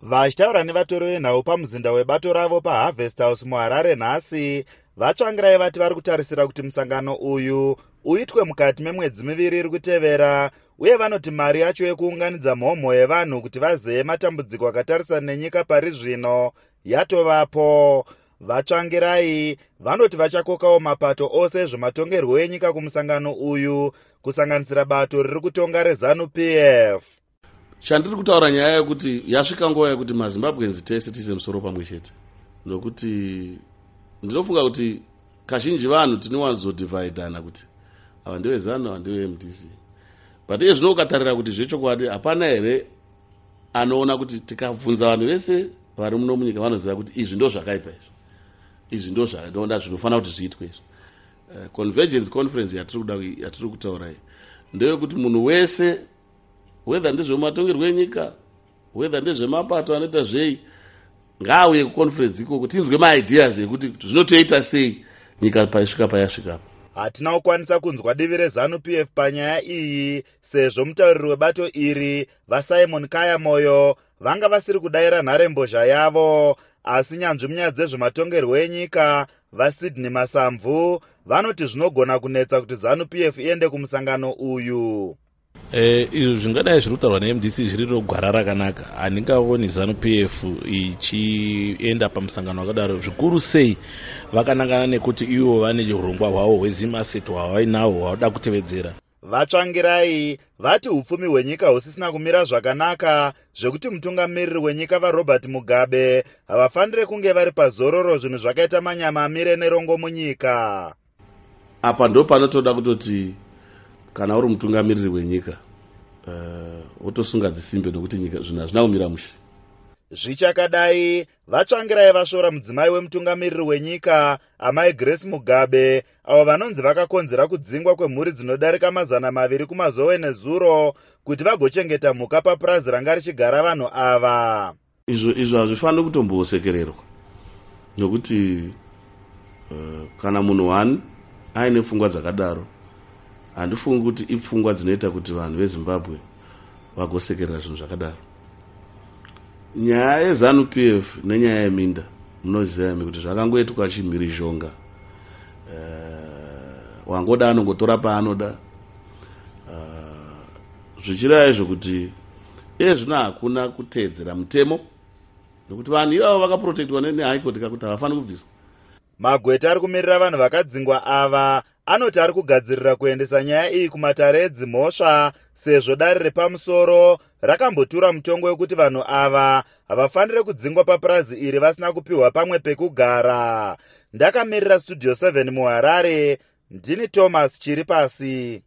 Vachitaura nevatori venhau pamuzinda webato ravo paHarvest House muHarare nhasi, VaTsvangirai vati vari kutarisira kuti musangano uyu uitwe mukati memwedzi miviri iri kutevera uye vanoti mari yacho yekuunganidza mhomho yevanhu kuti vazeye matambudziko akatarisana nenyika pari zvino yatovapo. VaTsvangirai vanoti vachakokawo mapato ose ezvematongerwo enyika kumusangano uyu kusanganisira bato riri kutonga reZanu PF. Chandiri kutaura nyaya yekuti yasvika nguva yekuti maZimbabweans tese tiise musoro pamwe chete, nokuti ndinofunga kuti kazhinji vanhu tinowanzodhivhaidhana kuti ava ndeveZanu, ava ndeveMDC, but iye zvino ukatarira kuti zvechokwadi hapana here anoona kuti tikabvunza vanhu vese vari muno munyika vanoziva kuti izvi ndo zvakaipa, izvi izvi ndo zvanoda zvinofanira kuti zviitwe izvi. Convergence conference yatiri kuda, yatiri kutaura iyi, ndeyekuti munhu wese, whether ndezvematongerwo enyika, whether ndezvemapato anoita zvei, ngaauye kuconference ikoko tinzwe maideas ekuti zvinotoita sei nyika paisvika payasvikapo. Hatina kukwanisa kunzwa divi reZanu PF panyaya iyi sezvo mutauriri webato iri, VaSimon Kaya Moyo, vanga vasiri kudayira nharembozha yavo. Asi nyanzvi munyaya dzezvematongerwo enyika, VaSydney Masamvu, vanoti zvinogona kunetsa kuti ZANU PF iende kumusangano uyu. Izvo zvingadai zviri kutaurwa neMDC zviriro gwara rakanaka. Handingaoni ZANU PF ichienda pamusangano wakadaro, zvikuru sei vakanangana nekuti ivo vane urongwa hwavo hweZimAsset hwavainahwo hwavoda kutevedzera. VaTsvangirai vati upfumi hwenyika husisina kumira zvakanaka zvekuti mutungamiriri wenyika VaRobert Mugabe havafaniri kunge vari pazororo zvinhu zvakaita manyama amire nerongo munyika. Apa ndo panotoda kutoti kana uri mutungamiriri wenyika wotosunga dzisimbe nokuti nyika zvinhu hazvina kumira mushe. Zvichakadai, VaTsvangirai vasvora mudzimai wemutungamiriri wenyika, Amai Grace Mugabe, avo vanonzi vakakonzera kudzingwa kwemhuri dzinodarika 200 kuMazowe nezuro kuti vagochengeta mhuka papurazi ranga richigara vanhu ava. Izvo hazvifaniri kutombosekererwa nokuti kana munhu one aine pfungwa dzakadaro, handifungi kuti ipfungwa dzinoita kuti vanhu veZimbabwe vagosekerera zvinhu zvakadaro. Nyaya yeZANU PF nenyaya yeminda, munoziva imi kuti zvakangoitwa chimhirizhonga. Wangoda anongotora paanoda, zvichireva izvo kuti iye zvino hakuna kuteedzera mutemo nekuti vanhu ivavo vakaprotectwa neHigh Court kakuti havafaniri kubviswa. Magweta ari kumirira vanhu vakadzingwa ava anoti ari kugadzirira kuendesa nyaya iyi kumatare edzimhosva sezvo dare repamusoro rakambotura mutongo wekuti vanhu ava havafaniri kudzingwa papurazi iri vasina kupiwa pamwe pekugara. Ndakamirira Studio 7 muHarare, ndini Thomas Chiripasi.